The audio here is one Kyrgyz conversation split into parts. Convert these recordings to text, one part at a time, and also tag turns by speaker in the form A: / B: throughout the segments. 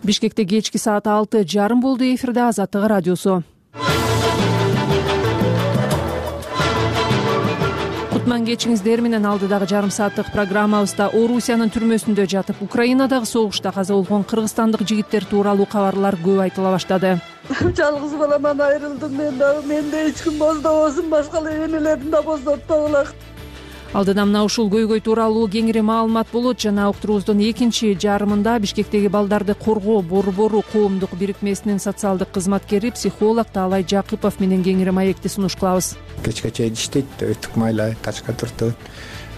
A: Бишкекте кечки саат 6:30 болду. Эфирде Азаттык радиосу. Кутман кечиңиздер менен алдыдагы жарым сааттык программабызда Орусиянын түрмөсүндө жатып, Украинадагы согушта каза болгон кыргызстандык жигиттер тууралуу кабарлар көп айтыла баштады.
B: Жалгыз баламан айрылдым менде эч ким боздобосун, башка энелерин да боздотпогула.
A: Алдыда мына ушул көйгөй тууралуу кеңири маалымат болот. Жана уктуруубуздун экинчи жарымында Бишкектеги балдарды коргоо борбору коомдук бирикмесинин социалдык кызматкери, психолог Таалай Жакыпов менен кеңири маекти сунуш кылабыз.
C: Кечке чейин иштейт, өтүк майлайт, тачка түртөт.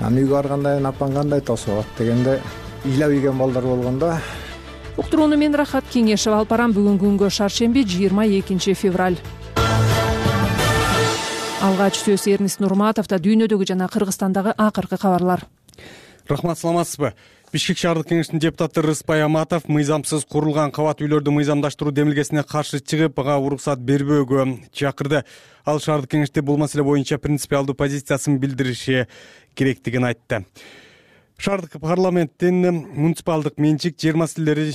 C: Аны үйгө барганда апаң кандай тосуп дегенде ыйлап ийген балдар болгондо.
A: Уктурууну мен Рахат Кеңешева алып барам. Бүгүнкү күнгө шаршемби 22 февраль. Алгач сөз Эрнис Нурматовдо дүйнөдөгү жана Кыргызстандагы акыркы кабарлар.
D: Рахмат, саламатсызбы? Бишкек шаардык кеңештин депутаты Рыспай Аматов мыйзамсыз курулган кабат үйлөрдү мыйзамдаштыруу демилгесине каршы чыгып, ага уруксат бербөөгө чакырды. Ал шаардык кеңеште бул маселе боюнча принципиалдуу позициясын билдириши керектигин айтты. Шаардык парламенттин муниципалдык менчик, жер маселелери,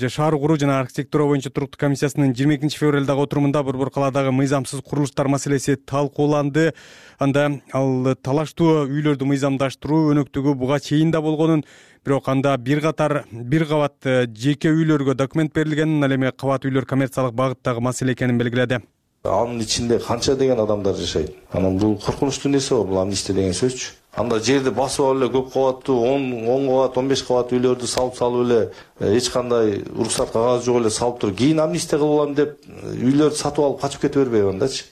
D: шаар куруу жана архитектура боюнча туруктуу комиссиясынын 22 февралдагы отурумунда Борбор калаадагы мыйзамсыз курулуштар маселеси талкууланды. Анда ал талаштуу үйлөрдү мыйзамдаштыруу өнөктүгү буга чейин да болгонун, бирок анда бир кабат жеке үйлөргө документ берилгенин, ал эми кабат үйлөр коммерциялык багыттагы маселе экенин белгиледи.
E: Анын ичинде канча деген адамдар жашайт. Анан бул коркунучтуу нерсе бул амнистия деген сөзчү. Анда жерди басып алып эле көп кабаттуу 10 кабат, 15 кабат үйлөрдү салып эле эч кандай уруксат кагазы жок эле салып туруп, кийин амнистия кылып алам деп үйлөрдү сатып алып качып кете бербейби андачы.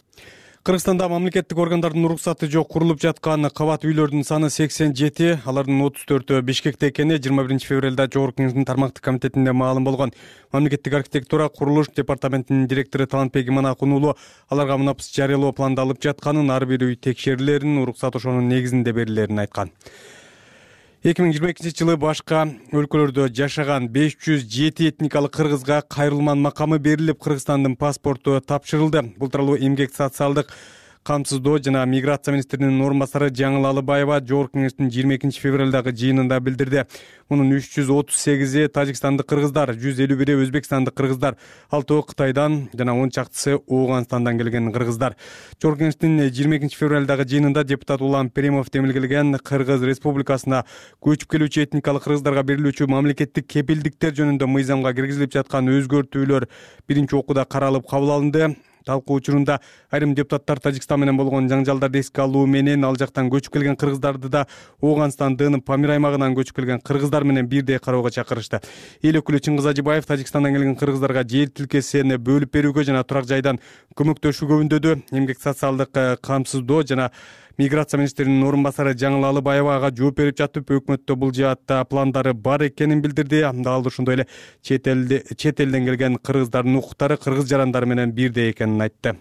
D: Кыргызстанда мамлекеттик органдардын уруксаты жок курулуп жаткан кабат үйлөрдүн саны 87, алардын 34-өө Бишкекте экени 21 февралда Жогорку Кеңештин тармактык комитетинде маалым болгон. Мамлекеттик архитектура курулуш департаментинин директору Талантбек Иманакун уулу аларга мунапс жарыялоо пландалып жатканын, ар бир үй текшерилерин, уруксат ошонун негизинде берилерин айткан. 2022 жылы башка өлкөлөрдө жашаган 507 этникалык кыргызга кайрылман макамы берилип, Кыргызстандын паспорту тапшырылды. Бул тууралуу эмгек социалдык камсыздоо жана миграция министринин орун басары Жаңыл Алыбаева Жогорку Кеңештин 22 февралдагы жыйынында билдирди. Мунун 338 тажикстандык кыргыздар, 151 өзбекстандык кыргыздар, 6 Кытайдан жана 10 чактысы Ооганстандан келген кыргыздар. Жогорку Кеңештин 22 февралдагы жыйынында депутат Улам Перимов демилгелген Кыргыз Республикасына көчүп келүүчү этникалык кыргыздарга берилүүчү мамлекеттик кепилдиктер жөнүндө мыйзамга киргизилип жаткан өзгөртүүлөр биринчи окууда каралып кабыл алынды. Талкуу учурунда айрым депутаттар Тажикстан менен болгон жаңжалдарды эске алуу менен ал жактан көчүп келген кыргыздарды да Ооганстандын Памир аймагынан көчүп келген кыргыздар менен бирдей кароого чакырышты. Эл өкүлү Чыңгыз Ажыбаев Тажикстандан келген кыргыздарга жер тилкесин бөлүп берүүгө жана турак жайдан көмөктөшүүгө үндөдү. Эмгек социалдык камсыздоо жана миграция министринин орун басары Жаңыл Алыбаева ага жооп берип жатып, өкмөттө бул жаатта пландары бар экенин билдирди. Ал ошондой эле чет элден келген кыргыздардын укуктары кыргыз жарандары менен бирдей экенин айтты.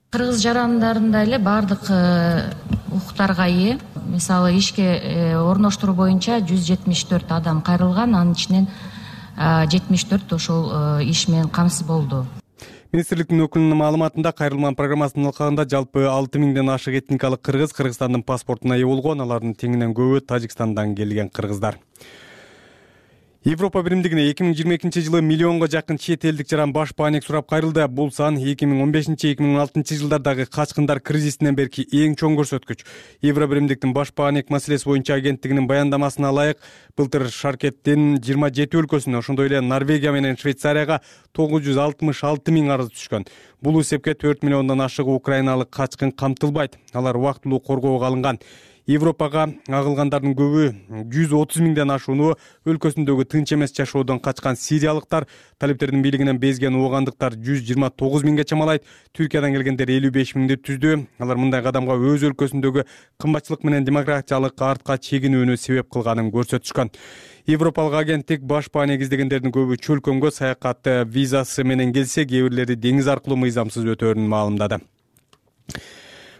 F: Кыргыз жарандарында эле бардык укуктарга ээ. Мисалы ишке орноштуруу боюнча 174 адам кайрылган, анын ичинен 74 ошол иш менен камсыз болду.
D: Министрликтин өкүлүнүн маалыматында кайрылман программасынын алкагында жалпы 6000ден ашык этникалык кыргыз Кыргызстандын паспортуна ээ болгон, алардын теңинен көбү Тажикстандан келген кыргыздар. Европа биримдигине 2022 жылы миллионго жакын чет элдик жаран баш бааник сурап кайрылды. Бул сан 2015-2016 жылдардагы качкындар кризисинен берки эң чоң көрсөткүч. Евро биримдиктин баш бааник маселеси боюнча агенттигинин баяндамасына ылайык, былтыр Шаркеттин 27 өлкөсүнө, ошондой эле Норвегия менен Швейцарияга 966 000 арыз түшкөн. Бул эсепке 4 миллиондон ашык украиналык качкын камтылбайт. Алар убактылуу коргоого алынган. Европага агылгандардын көбү 130 000ден ашууну өлкөсүндөгү тынч эмес жашоодон качкан сириялыктар, талиптердин бийлигинен безген оогандыктар 129 000ге чамалайт. Түркиядан келгендер 55 000ди түздү. Алар мындай кадамга өз өлкөсүндөгү кымбатчылык менен демократиялык артка чегинүүнү себеп кылганын көрсөтүшкөн. Европалык агенттик баш бааник издегендердин көбү чөлкөмгө саякат визасы менен келсе, кээ бирлери деңиз аркылуу мыйзамсыз өтөөрүн маалымдады.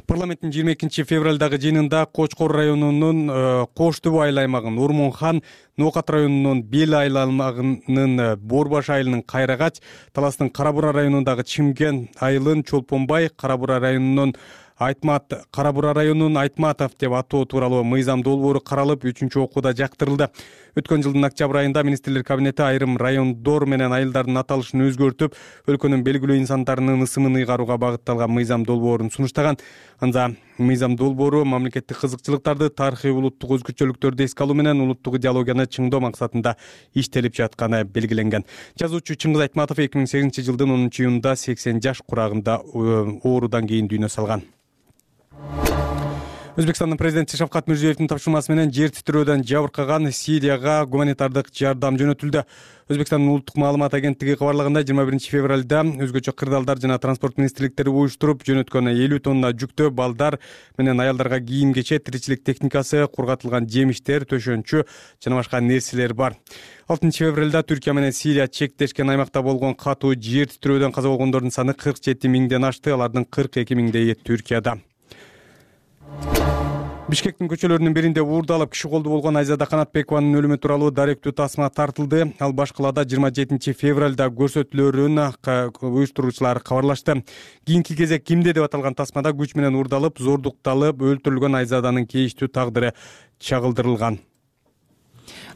D: Парламенттин 22 февралдагы жыйынында Кочкор районунун Коштубу айыл аймагын, Ормонхан, Нокат районунун Бел айыл аймагынын Борбаш айылынын Кайрагач, Таластын Карабура районундагы Чимген айылын, Чолпонбай, Карабура районунун Айтмат Кара Бура районунун Айтматов деп атоо тууралуу мыйзам долбоору каралып 3-окууда жактырылды. Өткөн жылдын октябрь айында министрлер кабинети айрым райондор менен айылдардын аталышын өзгөртүп, өлкөнүн белгилүү инсандарынын ысымын ыйгарууга багытталган мыйзам долбоорун сунуштаган. Анда мыйзам долбоору мамлекеттик кызыкчылыктарды, тарыхый улуттук өзгөчөлүктөрдү эске алуу менен улуттук идеологияны чыңдоо максатында иштелип жатканы белгиленген. Жазуучу Чыңгыз Айтматов 2008-жылдын 10-июнунда 80 жаш курагында оорудан кийин дүйнө салган. Өзбекстандын президенти Шавкат Мирзиёевдин тапшырмасы менен жер титирөөдөн жабыркаган Сирияга гуманитардык жардам жөнөтүлдү. Өзбекстандын улуттук маалымат агенттиги кабарлаганда 21-февралда өзгөчө кырдаалдар жана транспорт министрликтери уюштуруп жөнөткөн 50 тонна жүктө балдар менен аялдарга кийим-кечек, тиричилик техникасы, кургатылган жемиштер, төшөнчү жана башка нерселер бар. 6-февралда Түркия менен Сирия чектешкен аймакта болгон катуу жер титирөөдөн каза болгондордун саны 47 миңден ашты, алардын 42 миңдейи Түркияда. Бишкектин көчөлөрүнүн биринде уурдалып киши колду болгон Айзада Канатбекованын өлүмү тууралуу даректүү тасма тартылды. Ал башкалада 27-февралда көрсөтүлөрүн уюштуруучулар кабарлашты. Кийинки кезек кимде деп аталган тасмада күч менен уурдалып, зордукталып өлтүрүлгөн Айзаданын кейиштүү тагдыры чагылдырылган.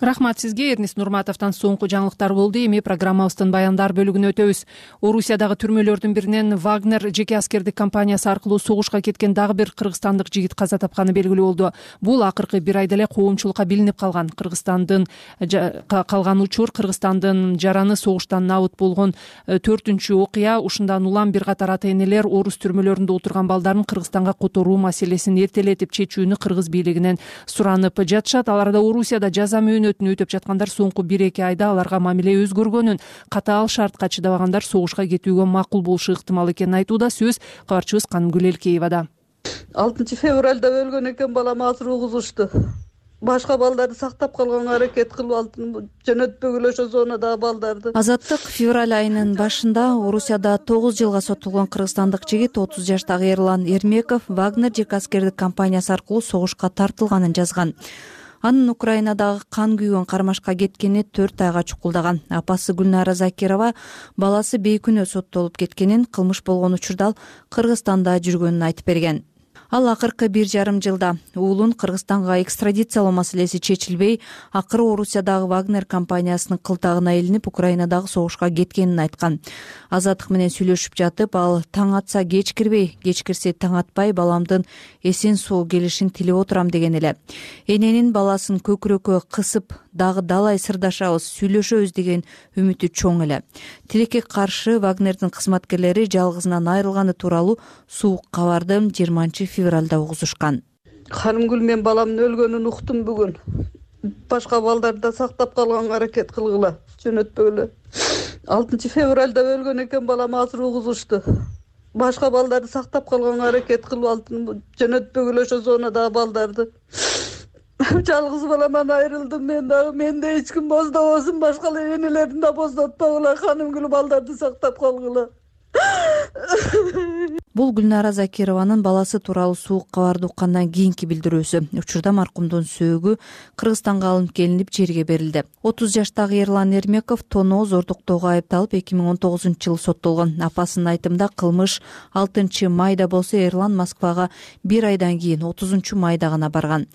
A: Рахмат сизге. Эрнис Нурматовдон соңку жаңылыктар болду. Эми программабыздын баяндар бөлүгүнө өтөбүз. Орусиядагы түрмөлөрдүн биринен Вагнер жеке аскердик компаниясы аркылуу согушка кеткен дагы бир кыргызстандык жигит каза тапканы белгилүү болду. Бул акыркы бир айда эле коомчулукка билинип калган. Кыргызстандын калган учур Кыргызстандын жараны согуштан набыт болгон 4-үчү окуя. Ушундан улам бир катар ата-энелер орус түрмөлөрүндө отурган балдарын Кыргызстанга которуу маселесин эртелетип чечүүнү кыргыз бийлигинен суранып жатышат. Аларда Орусияда жаза мөөнөтүн өтөп жаткандар соңку 1-2 айда аларга мамиле өзгөргөнүн, катаал шартка чыдабагандар согушка кетүүгө макул болушу ыктымал экенин айтууда. Сөз кабарчыбыз Канымгүл Элкеевада.
B: 6-февралда өлгөн экен, балам азыр угузушту. Башка балдарды сактап калганга аракет кылып жөнөтпөгүлө ошо зонадагы балдарды.
G: Азаттык февраль айынын башында Орусияда 9 жылга соттолгон кыргызстандык жигит 30 жаштагы Эрлан Эрмеков Вагнер жеке аскердик компаниясы аркылуу согушка тартылганын жазган. Анын Украинадагы кан күйгөн кармашка кеткени 4 айга чукулдаган. Апасы Гүлнара Закирова баласы бейкүнөө соттолуп кеткенин, кылмыш болгон учурда ал Кыргызстанда жүргөнүн айтып берген. Ал акыркы 1,5 жылда уулун Кыргызстанга экстрадициялоо маселеси чечилбей, акыры Орусиядагы Вагнер компаниясынын кылтагына илинип, Украинадагы согушка кеткенин айткан. Азаттык менен сүйлөшүп жатып, ал таң атса кеч кирбей, кеч кирсе таң атпай баламдын эсен соо келишин тилеп отурам деген эле. Эненин баласын көкүрөккө кысып, дагы далай сырдашабыз, сүйлөшөбүз деген үмүтү чоң эле. Тилекке каршы Вагнердин кызматкерлери жалгызынан айрылганы тууралуу суук кабарды 20-февралда угузушкан.
B: Канымгүл, мен баламдын өлгөнүн уктум бүгүн. Башка балдарды да сактап калганга аракет кылгыла, жөнөтпөгүлө. 6-февралда өлгөн экен, балам азыр угузушту. Башка балдарды сактап калганга аракет кылып жөнөтпөгүлө ошо зонадагы балдарды. Жалгыз баламан айрылдым мен дагы. Менде эч ким боздобосун, башка энелерин да боздотпогула, Канымгүл, балдарды сактап калгыла.
G: Бул Гүлнара Закированын баласы тууралуу суук кабарды уккандан кийинки билдирүүсү. Учурда маркумдун сөөгү Кыргызстанга алынып келинип жерге берилди. 30 жаштагы Эрлан Эрмеков тоноо зордуктоого айыпталып 2019-жылы соттолгон. Апасынын айтымында кылмыш 6-майда болсо, Эрлан Москвага 1 айдан кийин 30-майда гана барган.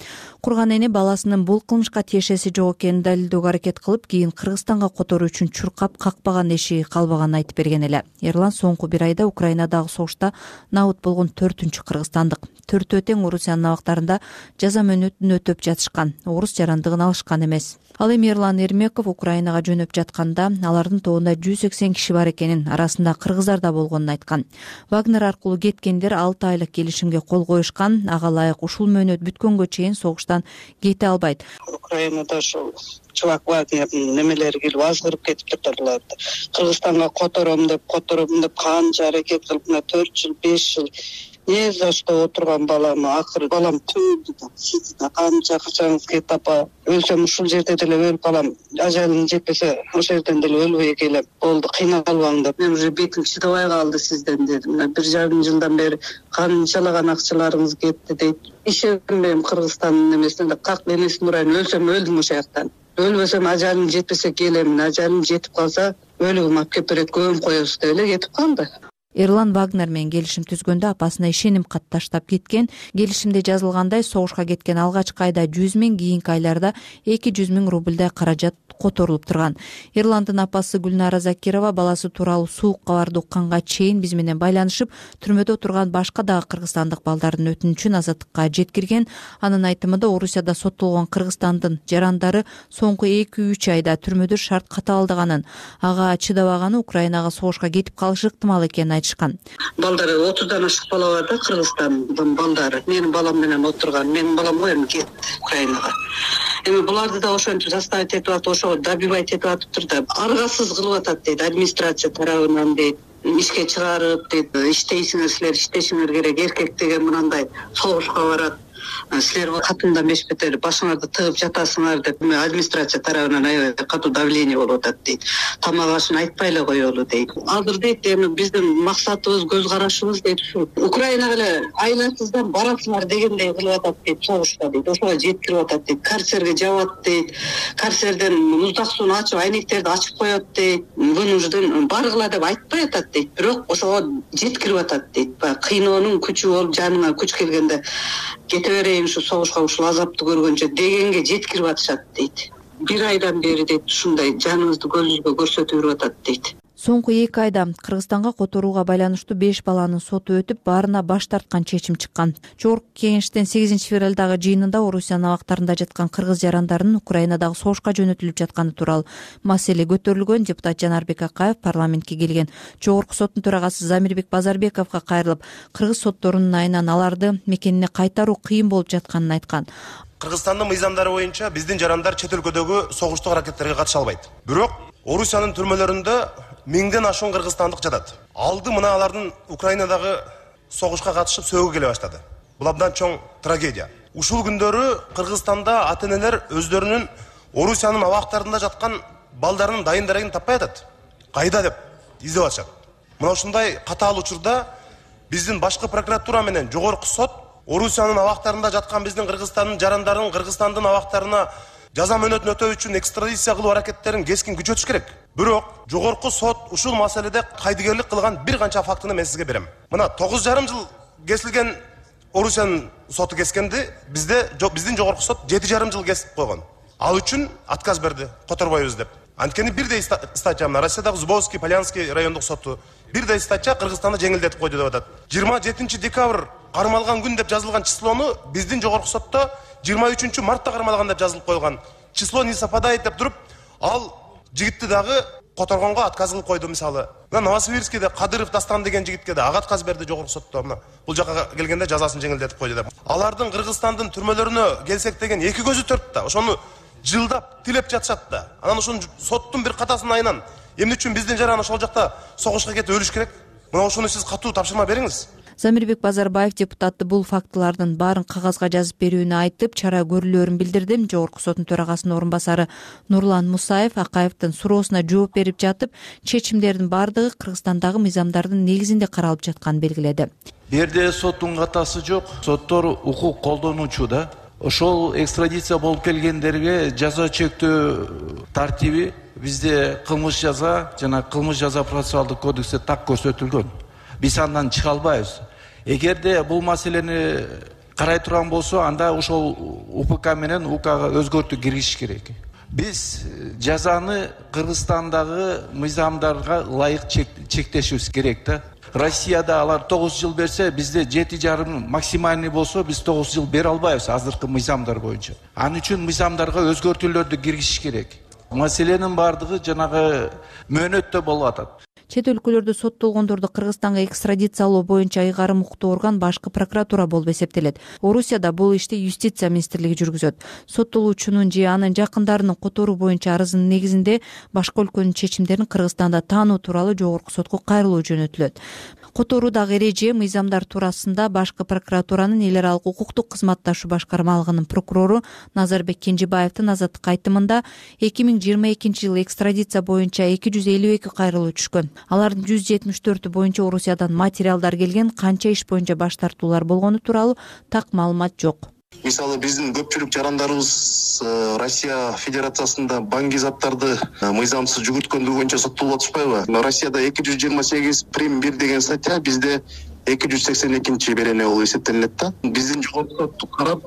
G: Курган эне баласынын бул кылмышка тиешеси жок экенин далилдөөгө аракет кылып, кийин Кыргызстанга которуу үчүн чуркап какпаган эшиги калбаганын айтып берген эле. Эрлан соңку 1 айда Украинадагы согушта набыт болгон 4-үчү кыргызстандык. Төртөө тең Орусиянын абактарында жаза мөөнөтүн өтөп жатышкан. Орус жарандыгын алышкан эмес. Ал эми Эрлан Эрмеков Украинага жөнөп жатканда алардын тобунда 180 киши бар экенин, арасында кыргыздар да болгонун айткан. Вагнер аркылуу кеткендер 6 айлык келишимге кол коюшкан. Ага ылайык ушул мөөнөт бүткөнгө чейин согуштан кете албайт.
H: Украинада ошол чувак Вагнердин немелери келип азгырып кетиптир буларды. Кыргызстанга котором деп канча аракет кылып, 4 жыл, 5 жыл не за что отурган балам, акыры балам түздү да, сиз да канча качаңыз кетип, апа өлсөм ушул жерде деле өлүп калам, ажалым жетпесе ошол жерден деле өлбөй келем, болду кыйналбаң деп. Мен уже бетим чыдабай калды сизден дедим. 1,5 жылдан бери канчалаган акчаларыңыз кетти дейт. Ишенбейм Кыргызстандын эмесине, как энесин урайын, өлсөм өлдүм ошол жактан. Өлбөсөм ажалым жетпесе келемин, ажалым жетип калса өлүгүм алып келип берет, көмүп коебуз деп эле кетип калды.
G: Эрлан Вагнер менен келишим түзгөндө апасына ишеним кат таштап кеткен. Келишимде жазылгандай согушка кеткен алгачкы айда 100 000, кийинки айларда 200 000 рубльдай каражат которулуп турган. Эрландын апасы Гүлнара Закирова баласы тууралуу суук кабарды укканга чейин биз менен байланышып, түрмөдө отурган башка дагы кыргызстандык балдардын өтүнүчүн азаттыкка жеткирген. Анын айтымында Орусияда соттолгон Кыргызстандын жарандары соңку 2-3 айда түрмөдө шарт катаалдыганын, ага чыдабаганы Украинага согушка кетип калышы ыктымал экенин айтышкан.
H: Балдары 30дан ашык бала бар да, Кыргызстандын балдары. Менин балам менен отурган. Менин балам коем кетти Украинага. Эми буларды да ошентип заставить этип атып, ошого добивать этип атыптыр да. Аргасыз кылып атат дейт администрация тарабынан дейт. Ишке чыгарып дейт, иштейсиңер силер, иштешиңер керек. Эркек деген мынандай согушка барат. Силер катында мешпетер башыңарды тыгып жатасыңар деп администрация тарабынан аябай катуу давление болуп атат дейт. Тамак ашын айтпай эле коелу дейт. Азыр дейт эми биздин максатыбыз, көз карашыбыз дейт ушу Украинага эле айласыздан барасыңар дегендей кылып атат дейт, согушка дейт. Ошого жеткирип атат дейт. Карцерге жабат дейт. Карцерден муздак сууну ачып, айнектерди ачып коет дейт. Вынужден баргыла деп айтпай атат дейт. Бирок ошого жеткирип атат дейт. Кыйноонун күчү болуп, жаныңа күч келгенде кете берейин ушу согушка, ушул азапты көргөнчө дегенге жеткирип атышат дейт. 1 айдан бери дейт ушундай жаныбызды көзүбүзгө көрсөтүп жүрүп атат дейт.
G: Соңку 2 айда Кыргызстанга которууга байланыштуу 5 баланын соту өтүп, баарына баш тарткан чечим чыккан. Жогорку кеңештин 8-февралдагы жыйынында Орусиянын абактарында жаткан кыргыз жарандарынын Украинадагы согушка жөнөтүлүп жатканы тууралуу маселе көтөрүлгөн. Депутат Жанарбек Акаев парламентке келген Жогорку соттун төрагасы Замирбек Базарбековго кайрылып, кыргыз сотторунун айынан аларды мекенине кайтаруу кыйын болуп жатканын айткан.
I: Кыргызстандын мыйзамдары боюнча биздин жарандар чет өлкөдөгү согуштук аракеттерге катыша албайт. Бирок Орусиянын түрмөлөрүндө 1000ден ашуун кыргызстандык жатат. Алды мына алардын Украинадагы согушка катышып сөөгө келе баштады. Бул абдан чоң трагедия. Ушул күндөрү Кыргызстанда ата-энелер өздөрүнүн Орусиянын абактарында жаткан балдарынын дайын дарегин таппай атат. Кайда деп издеп атышат. Мына ушундай катаал учурда биздин башкы прокуратура менен жогорку сот Орусиянын абактарында жаткан биздин Кыргызстандын жарандарын Кыргызстандын абактарына жаза мөөнөтүн өтөө үчүн экстрадиция кылуу аракеттерин кескин күчөтүш керек. Бирок жогорку сот ушул маселеде кайдыгерлик кылган бир канча фактыны мен сизге берем. Мына 9,5 жыл кесилген Орусиянын соту кескенди, биздин жогорку сот 7,5 жыл кесип койгон. Ал үчүн отказ берди, которбойбуз деп. Анткени бирдей статья мына Россиядагы Зубовский, Полянский райондук соту бирдей статья Кыргызстанды жеңилдетип койду деп атат. 27 декабрь кармалган күн деп жазылган числону биздин жогорку сотто 23 мартта кармалган деп жазылып койгон. Число не совпадает деп туруп, ал жигитти дагы которгонго отказ кылып койду. Мисалы, мына Новосибирскийде Кадыров Дастан деген жигитке да отказ берди жогорку сотто. Мына бул жака келгенде жазасын жеңилдетип койду деп. Алардын Кыргызстандын түрмөлөрүнө келсек деген эки көзү төрт да. Ошону жылдап тилеп жатышат да. Анан ошону соттун бир катасынын айынан эмне үчүн биздин жаран ошол жакта согушка кетип өлүш керек? Мына ошону сиз катуу тапшырма бериңиз.
G: Замирбек Базарбаев депутатты бул фактылардын баарын кагазга жазып берүүнү айтып, чара көрүлөөрүн билдирди. Жогорку соттун төрагасынын орун басары Нурлан Мусаев Акаевдин суроосуна жооп берип жатып, чечимдердин баардыгы Кыргызстандагы мыйзамдардын негизинде каралып жатканын белгиледи.
J: Бу жерде соттун катасы жок, соттор укук колдонуучу да. Ошол экстрадиция болуп келгендерге жаза чектөө тартиби бизде кылмыш жаза жана кылмыш жаза процессуалдык кодексте так көрсөтүлгөн. Биз андан чыга албайбыз. Эгерде бул маселени карай турган болсо, анда ошол УПК менен УКга өзгөртүү киргизиш керек. Биз жазаны Кыргызстандагы мыйзамдарга ылайык чектешибиз керек да. Россияда алар 9 жыл берсе, бизде 7,5 максимальный болсо, биз 9 жыл бере албайбыз азыркы мыйзамдар боюнча. Анын үчүн мыйзамдарга өзгөртүүлөрдү киргизиш керек. Маселенин баардыгы жанагы мөөнөттө болуп атат.
G: Чет өлкөлөрдө соттолгондорду Кыргызстанга экстрадициялоо боюнча ыйгарым укуктуу орган башкы прокуратура болуп эсептелет. Орусияда бул ишти Юстиция министрлиги жүргүзөт. Соттолуучунун же анын жакындарынын которуу боюнча арызынын негизинде башка өлкөнүн чечимдерин Кыргызстанда таануу тууралуу жогорку сотко кайрылуу жөнөтүлөт. Которуудагы эреже мыйзамдар туурасында башкы прокуратуранын эл аралык укуктук кызматташуу башкармалыгынын прокурору Назарбек Кенжебаевдин азаттык айтымында 2022 жылы экстрадиция боюнча 252 кайрылуу түшкөн. Алардын 174 боюнча Орусиядан материалдар келген, канча иш боюнча баш тартуулар болгону тууралуу так маалымат жок.
K: Мисалы биздин көпчүлүк жарандарыбыз Россия Федерациясында баңгизаттарды мыйзамсыз жүгүрткөндүгү боюнча соттолуп атышпайбы? Россияда 228 прим 1 деген статья, бизде 282 берене болуп эсептелинет да. Биздин жогорку сотту карап,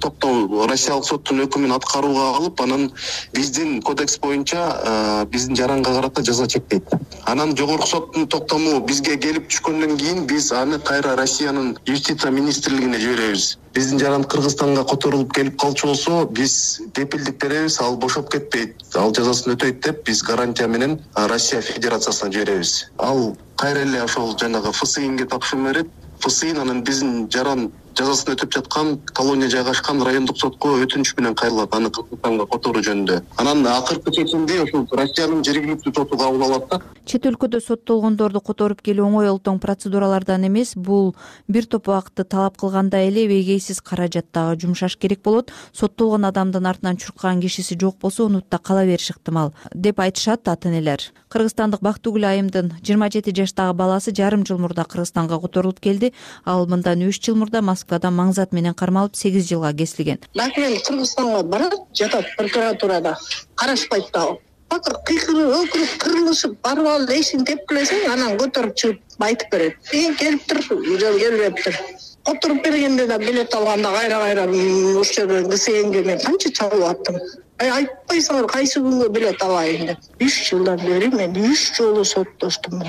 K: токтоо Россиялык соттун өкүмүн аткарууга алып, анан биздин кодекс боюнча биздин жаранга карата жаза чектейт. Анан жогорку соттун токтому бизге келип түшкөндөн кийин биз аны кайра Россиянын юстиция министрлигине жиберебиз. Биздин жаран Кыргызстанга которулуп келип калчу болсо, биз кепилдик беребиз, ал бошоп кетпейт, ал жазасын өтөйт деп биз гарантия менен Россия Федерациясына жиберебиз. Ал кайра эле ошол жанагы ФСИНге тапшырма берет. ФСИН анан биздин жаран жазасын өтөп жаткан колония жайгашкан райондук сотко өтүнүч менен кайрылат, аны Кыргызстанга которуу жөнүндө. Анан акыркы чечимди ошол Россиянын жергиликтүү соту кабыл алат да.
G: Чет өлкөдө соттолгондорду которуп келүү оңой олтоң процедуралардан эмес, бул бир топ убакытты талап кылгандай эле эбегейсиз каражат дагы жумшаш керек болот. Соттолгон адамдын артынан чуркаган кишиси жок болсо, унутта кала бериши ыктымал деп айтышат ата-энелер. Кыргызстандык Бактыгүл айымдын 27 жаштагы баласы жарым жыл мурда Кыргызстанга которулуп келди. Ал мындан 3 жыл мурда Москвада маңзат менен кармалып 8 жылга кесилген.
L: Мен Кыргызстанга барат, жатат прокуратурада, карашпайт дагы. Бакыр кыйкырып, өкүрүп, кырылышып, барып алып эшин тепкилесең, анан көтөрүп чыгып айтып берет. Келиптир, келбептир. Которуп бергенде да билет алганда кайра ошол жерден ГСНге мен канча чалып аттым. Айтпайсыңар кайсы күнгө билет алайын деп. 3 жылдан бери мен 3 жолу соттоштум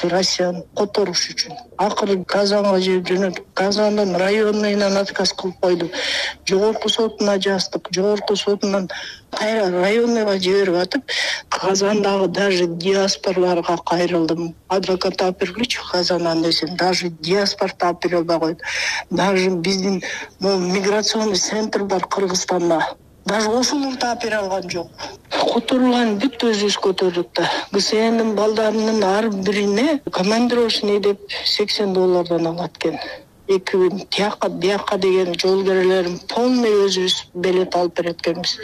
L: Россияны которуш үчүн. Акыры Казанга жөнөтүп, Казандын районуйнан отказ кылып койду. Жогорку сотуна жаздык, жогорку сотунан кайра районуйга жиберип атып, Казандагы даже диаспорлорго кайрылдым. Адвокат таап бергүлүчү Казандан десем, даже диаспор таап бере албай койду. Даже биздин миграционный центр бар Кыргызстанда. Даже ошону таап бере алган жок. Которулган бүт өзүбүз көтөрдүк да. ГСНдин балдарынын ар бирине командировочный деп $80 алат экен. 2 күн тияка деген жол берелерин полный өзүбүз билет алып берет экенбиз.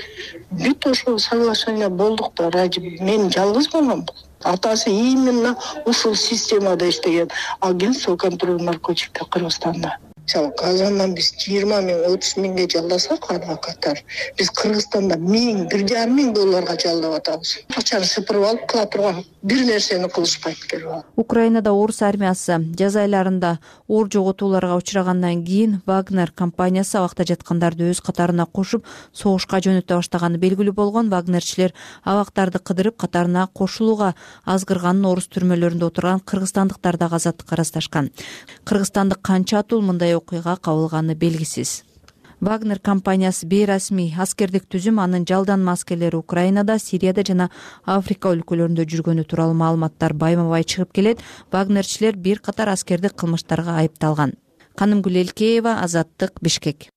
L: Бүт ошол соглашение болдук да. Мен жалгыз болмом. Атасы именно ушул системада иштеген агентство контроль наркотиков Кыргызстанда. Казандан биз 20 миң, 30 миңге жалдасак адвокаттар, биз Кыргызстанда $1,5 жалдап атабыз. Акчаны сыпырып алып кыла турган бир нерсени кылышпайт келип.
G: Украинада орус армиясы жаз айларында оор жоготууларга учрагандан кийин Вагнер компаниясы абакта жаткандарды өз катарына кошуп, согушка жөнөтө баштаганы белгилүү болгон. Вагнерчилер абактарды кыдырып, катарына кошулууга азгырганын орус түрмөлөрүндө отурган кыргызстандыктар да азаттыкка арыздашкан. Кыргызстандык канча атуу мындай окуйга кабылганы белгисиз. Вагнер компаниясы бейрасмий аскердик түзүм, анын жалданма аскерлери Украинада, Сирияда жана Африка өлкөлөрүндө жүргөнү тууралуу маалыматтар байма-бай чыгып келет. Вагнерчилер бир катар аскердик кылмыштарга айыпталган. Канымгүл Элкеева, Азаттык, Бишкек.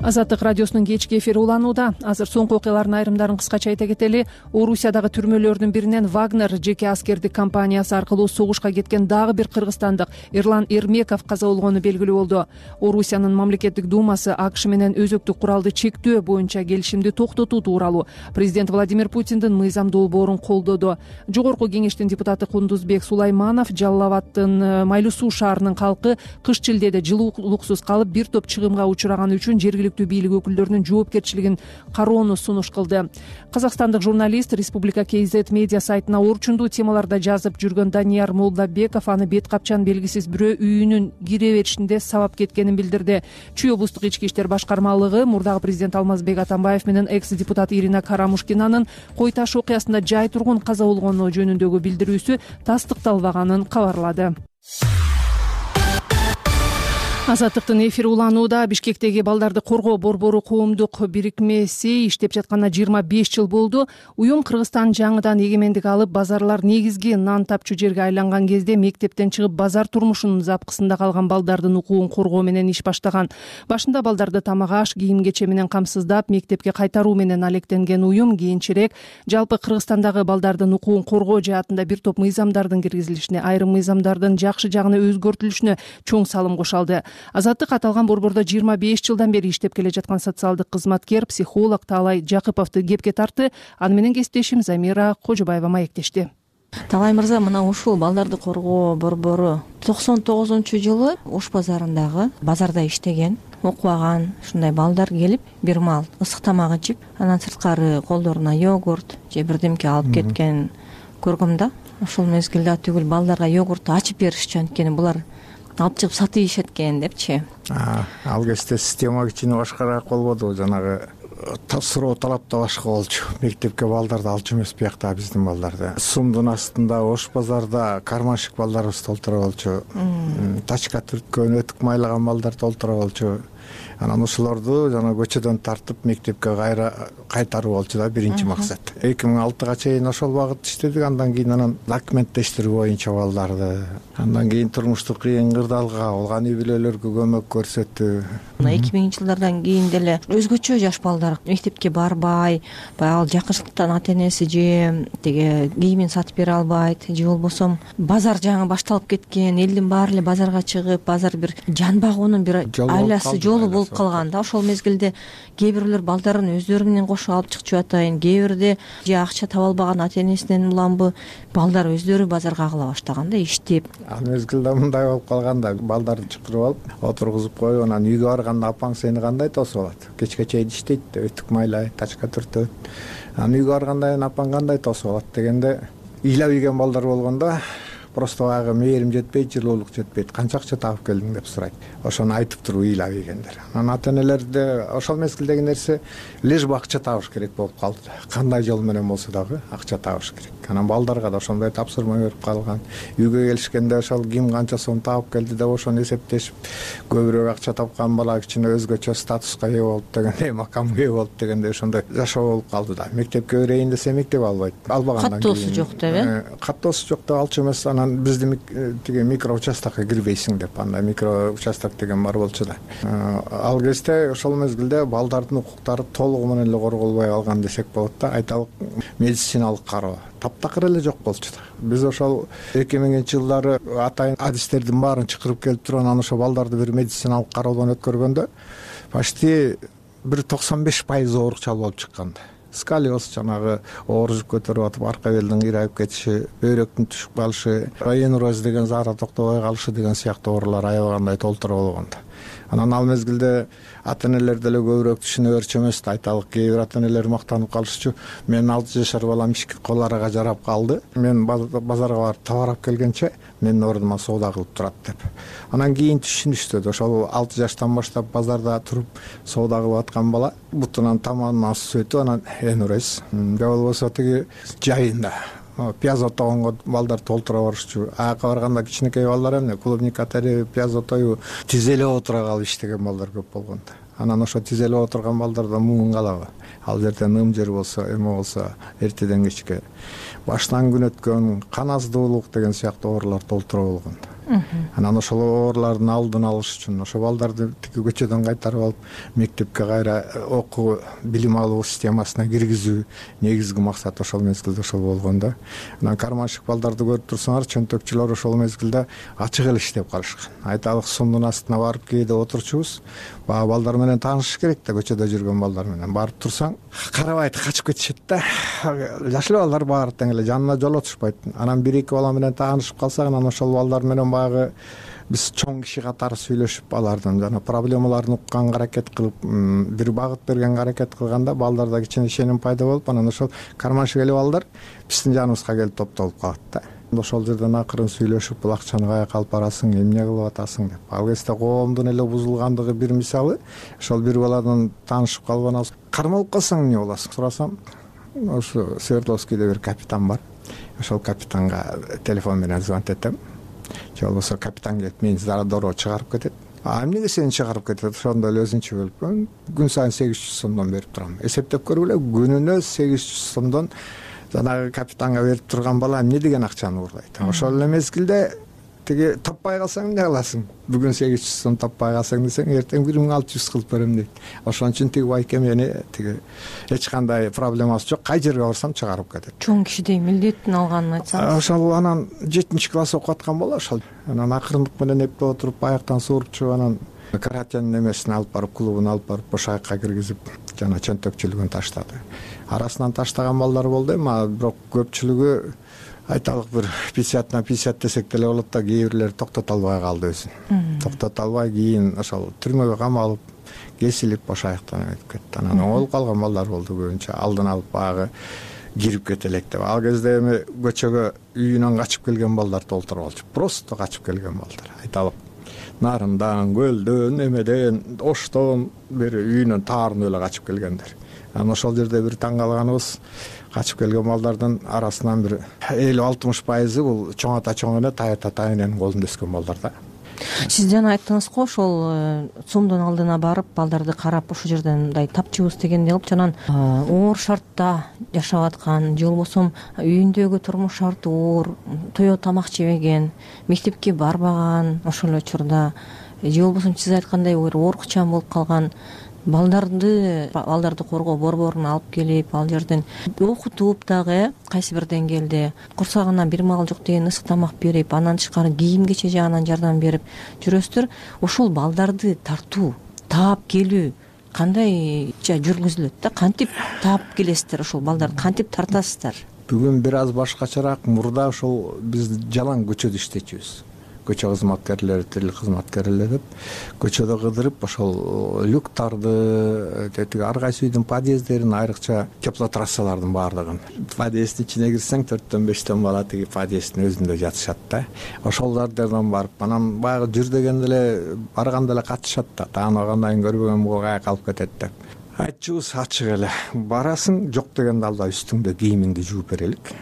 A: Азаттык радиосунун кечки эфири уланууда. Азыр соңку окуялардын айрымдарын кыскача айта кетели. Орусиядагы түрмөлөрдүн биринен Вагнер жеке аскердик компаниясы аркылуу согушка кеткен дагы бир кыргызстандык Эрлан Эрмеков каза болгону белгилүү болду. Орусиянын мамлекеттик думасы АКШ менен өзөктүк куралды чектөө боюнча келишимди токтотуу тууралуу президент Владимир Путиндин мыйзам долбоорун колдоду. Жогорку кеңештин депутаты Кундузбек Сулайманов Жалал Абаддын Майлуу Суу шаарынын калкы кыш шилдеде жылуулуксуз калып бир топ чыгымга учураганы үчүн жергиликтүү бийлик өкүлдөрүнүн жоопкерчилигин кароону сунуш кылды. Казакстандык журналист Республика KZ медиа сайтына орчундуу темаларда жазып жүргөн Данияр Молдабеков аны бет капчан белгисиз бирөө үйүнүн кире беришинде сабап кеткенин билдирди. Чүй облустук ички иштер башкармалыгы мурдагы президент Алмазбек Атамбаев менен экс-депутат Ирина Карамушкинанын кой таш окуясында жай тургун каза болгону жөнүндөгү билдирүүсү тастыкталбаганын кабарлады. Азаттыктын эфири уланууда. Бишкектеги балдарды коргоо борбору коомдук бирикмеси иштеп жатканына 25 жыл болду. Уюм Кыргызстан жаңыдан эгемендик алып, базарлар негизги нан тапчу жерге айланган кезде мектептен чыгып базар турмушунун запкысында калган балдардын укугун коргоо менен иш баштаган. Башында балдарды тамак аш, кийим-кече менен камсыздап, мектепке кайтаруу менен алектенген уюм кийинчерээк жалпы Кыргызстандагы балдардын укугун коргоо жаатында бир топ мыйзамдардын киргизилишине, айрым мыйзамдардын жакшы жагына өзгөртүлүшүнө чоң салым кошалды. Азаттык аталган борбордо 25 жылдан бери иштеп келе жаткан социалдык кызматкер, психолог Таалай Жакыповду кепке тартты. Аны менен кесиптешим Замира Кожобаева маектешти.
M: Таалай мырза, мына ушул балдарды коргоо борбору 99-жылы Ош базарындагы базарда иштеген. окубаган ушундай балдар келип бир маал ысык тамак ичип, анан сырткары колдоруна йогурт же бирдемке алып кеткен көргөм да. Ошол мезгилде түгүл балдарга йогуртту ачып беришчү, анткени булар алып чыгып сатып ийишет экен депчи.
C: Ал кезде система кичине башкараак болбоду, жанагы суроо талап да башка болчу. Мектепке балдарды алчу эмес биякта биздин балдарды. Сумдун астында, Ош базарда карманшык балдарыбыз толтура болчу. Тачка түрткөн, өтүк майлаган балдар толтура болчу. Анан ушулорду жана көчөдөн тартып мектепке кайтаруу болчу да биринчи максат. 2006 чейин ошол багытта иштедик. Андан кийин документтештирүү боюнча балдарды, андан кийин турмуштук кыйын кырдаалга болгон үй бүлөлөргө көмөк көрсөтүү.
M: 2000-жылдардан кийин деле өзгөчө жаш балдар мектепке барбай, баягы жакынчылыктан ата энеси же тиги кийимин сатып бере албайт, же болбосо базар жаңы башталып кеткен, элдин баары эле базарга чыгып, базар бир жан багуунун бир айласы жолу болуп калган да. Ошол мезгилде кээ бирлер балдарын өздөрү менен кошо алып чыкчу атайын, кээ бирде же акча таба албаган ата энесинен уламбы балдар өздөрү базарга агыла баштаган да, иштеп.
C: Ал мезгилде мындай болуп калган да, балдарды чакырып алып отургузуп коюп, анан үйгө барганда апаң сени кандай тосуп алат? Кечке чейин иштейт, өтүк майлайт, тачка түртөт. Анан үйгө барганда апаң кандай тосуп алат дегенде, ыйлап ийген балдар болгондо просто баягы мээрим жетпейт, жылуулук жетпейт, канча акча таап келдиң деп сурайт. Ошону айтып туруп ыйлап ийгендер. Анан ата энелерде ошол мезгилдеги нерсе лишь бы акча табыш керек болуп калды. Кандай жол менен болсо дагы акча табыш керек. Анан балдарга да ошондой тапсырма берип калган. Үйгө келишкенде ошол ким канча сом таап келди деп ошону эсептешип, көбүрөөк акча тапкан бала кичине өзгөчө статуска ээ болуп дегендей, макамга ээ болуп дегендей ошондой жашоо болуп калды да. Мектепке берейин десе мектеп албайт. Албагандан кийин
M: каттоосу жок деп,
C: каттоосу жок деп алчу эмес. Анан биздин тиги микро участокко кирбейсиң деп, андай микро участок деген бар болчу да. Ал кезде ошол мезгилде балдардын укуктары толугу менен эле корголбой калган десек болот да. Айталык медициналык кароо таптакыр эле жок болчу да. Биз ошол 2000-жылдары атайын адистердин баарын чакырып келип туруп, анан ошо балдарды бир медициналык кароодон өткөргөндө почти бир 95% оорукчал болуп чыккан да. Сколиоз, жанагы оор жүк көтөрүп атып арка белдин кыйрайып кетиши, бөйрөктүн түшүп калышы, энуроз деген заара токтобой калышы деген сыяктуу оорулар аябагандай толтура болгон да. Анан ал мезгилде ата энелер деле көбүрөөк түшүнө берчү эмес да. Айталык, кээ бир ата энелер мактанып калышчу. Менин 6 жашар балам ишке кол арага жарап калды. Мен базарга барып товар алып келгенче менин ордума соода кылып турат деп. Анан кийин түшүнүштү. Ошол 6 жаштан баштап базарда туруп соода кылып аткан бала бутунан тамагынан суу өтүп, анан энурез же болбосо тиги жайында пияз отогонго балдар толтура барышчу. Аяка барганда кичинекей балдар эмне клубника терип, пияз отоюп, тизелеп отура калып иштеген балдар көп болгон да. Анан ошо тизелеп отурган балдардан муң калабы? Ал жерде ным жер болсо, эме болсо, эртеден кечке баштан күн өткөн, кан аздуулук деген сыяктуу оорулар толтура болгон да. Анан ошол оорулардын алдын алыш үчүн ошо балдарды тиги көчөдөн кайтарып алып мектепке кайра окуу, билим алуу системасына киргизүү негизги максат ошол мезгилде ошол болгон да. Анан карманшык балдарды көрүп турсаңар, чөнтөкчүлөр ошол мезгилде ачык эле иштеп калышкан. Айталык, сумдун астына барып кээде отурчубуз. Баягы балдар менен таанышыш керек да, көчөдө жүргөн балдар менен. Барып турсаң, карабайт, качып кетишет да. Жаш балдар баары тең эле жанына жолотушпайт. Анан 1-2 бала менен таанышып калсак, анан ошол балдар менен баягы биз чоң киши катары сүйлөшүп, алардын жана проблемаларын укканга аракет кылып, бир багыт бергенге аракет кылганда балдарда кичине ишеним пайда болуп, анан ошол карманшык эле балдар биздин жаныбызга келип топтолуп калат да. Ошол жерден акырын сүйлөшүп, бул акчаны каяка алып барасың, эмне кылып атасың деп. Ал кезде коомдун эле бузулгандыгы бир мисалы. Ошол бир баладан таанышып калган алсам, кармалып калсаң эмне боласың сурасам, ошо Свердловскийде бир капитан бар. Ошол капитанга телефон менен звонить этем. Же болбосо капитан келип мени дароо чыгарып кетет. Эмнеге сени чыгарып кетет? Ошондо эле өзүнчө бөлүп, күн сайын 800 сомдон берип турам. Эсептеп көргүлө, күнүнө 800 сомдон жанагы капитанга берип турган бала эмне деген акчаны уурдайт. Ошол эле мезгилде тиги таппай калсаң эмне кыласың? Бүгүн 800 сом таппай калсаң десең, эртең 1600 кылып берем дейт. Ошон үчүн тиги байке мени тиги эч кандай проблемасы жок, кай жерге барсам чыгарып кетет.
M: Чоң кишидей милдеттин алганын айтсаңыз.
C: Ошол анан 7-класс окуп аткан бала ошол. Анан акырындык менен эптеп отуруп, аяктан суурупчу, анан каратен немесин алып барып, клубун алып барып, бошайыкка киргизип, жана чөнтөкчүлүгүн таштады. Арасынан таштаган балдар болду эми, бирок көпчүлүгү айталык бир 50/50 десек деле болот да, кээ бирлери токтото албай калды өзүн. Токтото албай кийин ошол түрмөгө камалып, кесилип башаяктан өтүп кетти. Анан оңолуп калган балдар болду көбүнчө. Алдын алып багы кирип кетелек деп. Ал кезде эми көчөгө үйүнөн качып келген балдар толтуруп алчу. Просто качып келген балдар. Айталык Нарындан, Көлдөн, эмеден, Оштон бери үйүнөн таарына эле качып келгендер. Анан ошол жерде бир таң калганыбыз, качып келген балдардын арасынан бир 50-60% бул чоң ата чоң эне, тай ата тай эненин колунда өскөн балдар да.
M: Сиз жана айттыңыз го, ошол цумдун алдына барып, балдарды карап, ошол жерден мындай тапчыбыз дегендей кылып, жанан оор шартта жашап аткан, же болбосо үйүндөгү турмуш шарты оор, тоё тамак жебеген, мектепке барбаган ошол учурда, же болбосо сиз айткандай бир оорукчан болуп калган балдарды коргоо борборун алып келип, ал жерден окутуп дагы кайсы бир деңгээлде курсагына бир маал жок деген ысык тамак берип, анан тышкары кийим кече жагынан жардам берип жүрөсүздөр. Ошол балдарды тартуу, таап келүү кандайча жүргүзүлөт да? Кантип таап келесиздер ошол балдарды, кантип тартасыздар?
C: Бүгүн бир аз башкачараак. Мурда ошол биз жалаң көчөдө иштечүбүз. Көчө кызматкерлери, тил кызматкерлери деп көчөдө кыдырып, ошол люктарды, тетиги ар кайсы үйдүн подъезддерин, айрыкча теплотрассалардын баардыгын. Подъезддин ичине кирсең 4-5 бала тиги подъезддин өзүндө жатышат да. Ошолордон барып, анан баягы жүр дегенде эле барганда эле катышат да. Тааныбагандан кийин көрбөгөн буга каяка алып кетет деп. Айтчубуз ачык эле. Барасың, жок дегенде алда үстүңдө кийимиңди жууп берелик.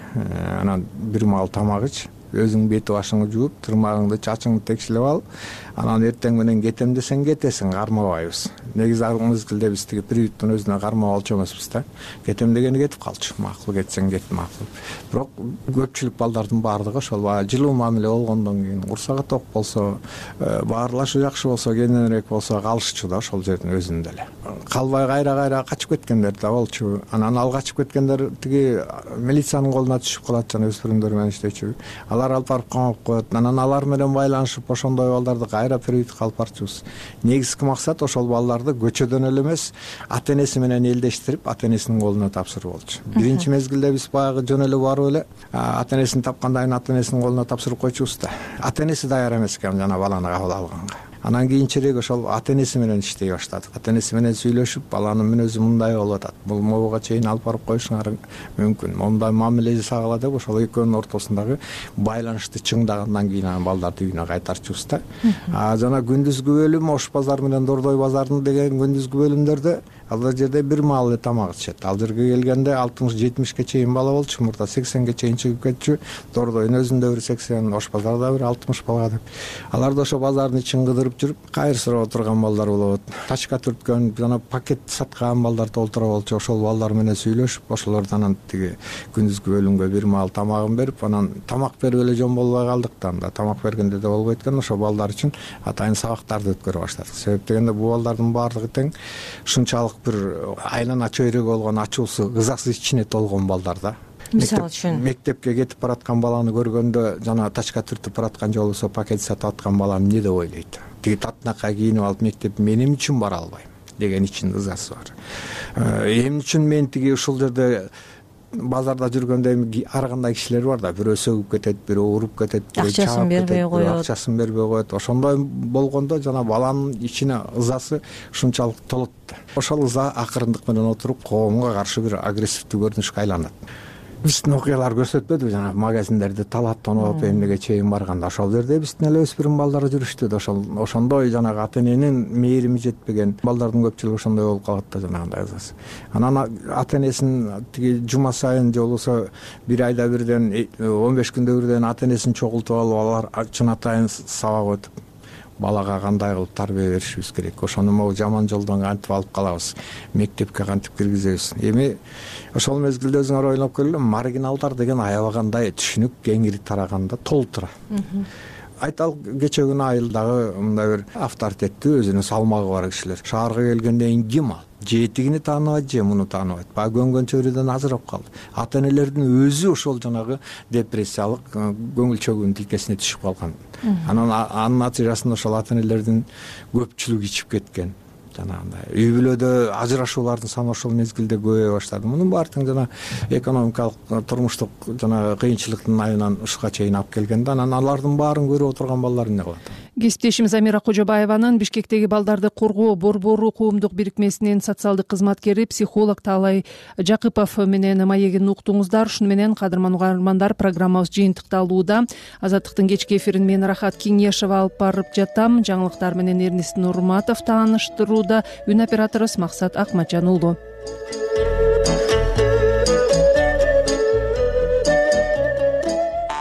C: Анан бир маал тамак ич. Өзүң бети башыңды жууп, тырмагыңды, чачыңды текшилеп ал. Анан эртең менен кетем десең кетесиң, кармабайбыз. Негизи ал мезгилде биз тиги приюттун өзүнө кармап алчу эмеспиз да. Кетем дегени кетип калчу. Макул кетсең кет, макул. Бирок көпчүлүк балдардын баардыгы ошол жылуу мамиле болгондон кийин, курсагы ток болсо, баарлашуу жакшы болсо, кененирээк болсо калышчу да ошол жердин өзүндө эле. Калбай кайра качып кеткендер да болчу. Анан ал качып кеткендер тиги милициянын колуна түшүп калат, жана өспүрүмдөр менен иштечү. Алар алып барып камап коет. Анан алар менен байланышып, ошондой балдарды кайра приютка алып барчубуз. Негизги максат ошол балдарды көчөдөн эле эмес, ата энеси менен элдештирип, ата энесинин колуна тапшыруу болчу. Биринчи мезгилде биз баягы жөн эле барып эле ата энесин тапкандан кийин ата энесинин колуна тапшырып койчубуз да. Ата энеси даяр эмес экен жана баланы кабыл алганга. Анан кийинчерээк ошол ата энеси менен иштей баштадык. Ата энеси менен сүйлөшүп, баланын мүнөзү мындай болуп атат, бул могуга чейин алып барып коюшуңар мүмкүн, мондай мамиле жасагыла деп ошол экөөнүн ортосундагы байланышты чыңдагандан кийин анан балдарды үйүнө кайтарчубуз да. Жана күндүзгү бөлүм Ош базар менен Дордой базарынын деген күндүзгү бөлүмдөрдө ал жерде бир маал эле тамак ичет. Ал жерге келгенде 60-70ке чейин бала болчу, мурда 80ге чейин чыгып кетчү. Дордойдун өзүндө бир 80, Ош базарда бир 60 бала деп. Алар да ошо базардын ичин кыдырып жүрүп, кайыр сурап отурган балдар болот. Тачка түрткөн, жана пакет саткан балдар толтура болчу. Ошол балдар менен сүйлөшүп, ошолордон анан тиги күндүзгү бөлүмгө бир маал тамагын берип, анан тамак берип эле жөн болбой калдык да. Анда тамак бергенде да болбойт экен, ошол балдар үчүн атайын сабактарды өткөрө баштадык. Себеп дегенде бул балдардын баардыгы тең ушунчалык бир айлана чөйрөгү болгон, ачуусу, ызасы ичине толгон балдар да. Мисалы үчүн мектепке кетип бараткан баланы көргөндө, жана тачка түртүп бараткан же болбосо пакет сатып аткан балам эмне деп ойлойт? Тиги татынакай кийинип алып мектеп мен эмне үчүн бара албайм деген ичинде ызасы бар. Эмне үчүн мен тиги ушул жерде базарда жүргөндө ар кандай кишилер бар да, бирөө сөгүп кетет, бирөө уруп кетет,
M: акчасын бербей коет.
C: Акчасын бербей коет. Ошондой болгондо жана баланын ичине ызасы ушунчалык толот. Ошол ыза акырындык менен отуруп коомго каршы бир агрессивдүү көрүнүшкө айланат. Биздин окуялар көрсөтпөдүбү, жана магазиндерди талап тоноп эмнеге чейин барганда ошол жерде биздин эле өспүрүм балдар жүрүштү да. Ошондой жанагы ата эненин мээрими жетпеген балдардын көпчүлүгү ошондой болуп калат да, жанагындай ызасы. Анан ата энесин тиги жума сайын же болбосо бир айда бирден 15 күндө бирден ата энесин чогултуп алып, алар чын атайын сабак өтүп балага кандай кылып тарбия беришибиз керек. Ошону могу жаман жолдон кантип алып калабыз, мектепке кантип киргизебиз. Эми ошол мезгилде өзүңөр ойлоп көргүлө, маргиналдар деген аябагандай түшүнүк кеңири тараганда толтура. Айталык кече күнү айылдагы мындай бир авторитеттүү, өзүнүн салмагы бар кишилер шаарга келгенден кийин ким ал? Же тигини тааныбайт, же муну тааныбайт. Баягы көнгөн чөйрөдөн ажырап калды. Ата энелердин өзү ошол жанагы депрессиялык көңүл чөгүүнүн тилкесине түшүп калган. Анан анын натыйжасында ошол ата энелердин көпчүлүгү ичип кеткен. жанагындай үй бүлөдө ажырашуулардын саны ошол мезгилде көбөйө баштады. Мунун баары тең жана экономикалык турмуштук жана кыйынчылыктын айынан ушуга чейин алып келген да, анан алардын баарын көрүп отурган балдар эмне кылат?
A: Кесиптешим Замира Кожобаеванын Бишкектеги балдарды коргоо Борбору коомдук бирикмесинин социалдык кызматкери, психолог Таалай Жакыпов менен маегин уктуңуздар. Ушуну менен кадырман угармандар, программабыз жыйынтыкталууда. Азаттыктын кечки эфирин мен Рахат Кеңешова алып барып жатам. Жаңылыктар менен Эрнис Нурматов тааныштырууда. Үн операторубуз Максат Акматжан уулу.